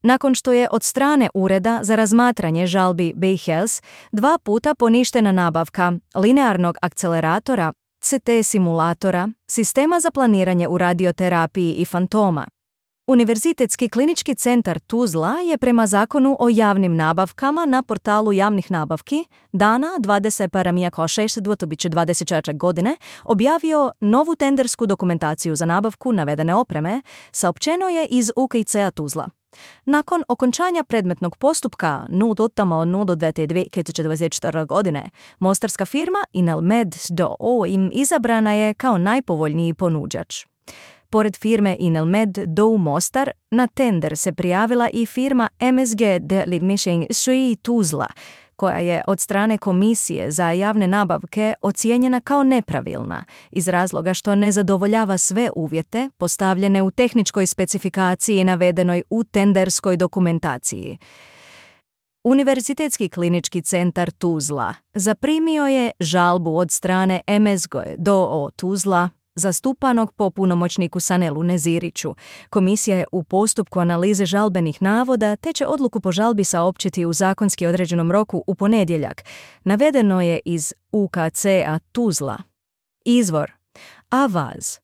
nakon što je od strane Ureda za razmatranje žalbi BayHealth 2 puta poništena nabavka linearnog akceleratora, CT simulatora, sistema za planiranje u radioterapiji i fantoma. Univerzitetski klinički centar Tuzla je prema zakonu o javnim nabavkama na portalu javnih nabavki dana 21.6.2024. godine objavio novu tendersku dokumentaciju za nabavku navedene opreme, saopćeno je iz UKIC-a Tuzla. Nakon okončanja predmetnog postupka 0.02.2024. godine, mostarska firma Inelmed d.o.o. im izabrana je kao najpovoljniji ponuđač. Pored firme Inelmed d.o.o. Mostar, na tender se prijavila i firma MSG Delimišing Sui Tuzla, koja je od strane Komisije za javne nabavke ocijenjena kao nepravilna iz razloga što ne zadovoljava sve uvjete postavljene u tehničkoj specifikaciji navedenoj u tenderskoj dokumentaciji. Univerzitetski klinički centar Tuzla zaprimio je žalbu od strane MSG d.o.o. Tuzla, zastupanog po punomoćniku Sanelu Neziriću. Komisija je u postupku analize žalbenih navoda te će odluku po žalbi saopćiti u zakonski određenom roku u ponedjeljak. Navedeno je iz UKC-a Tuzla. Izvor: Avaz.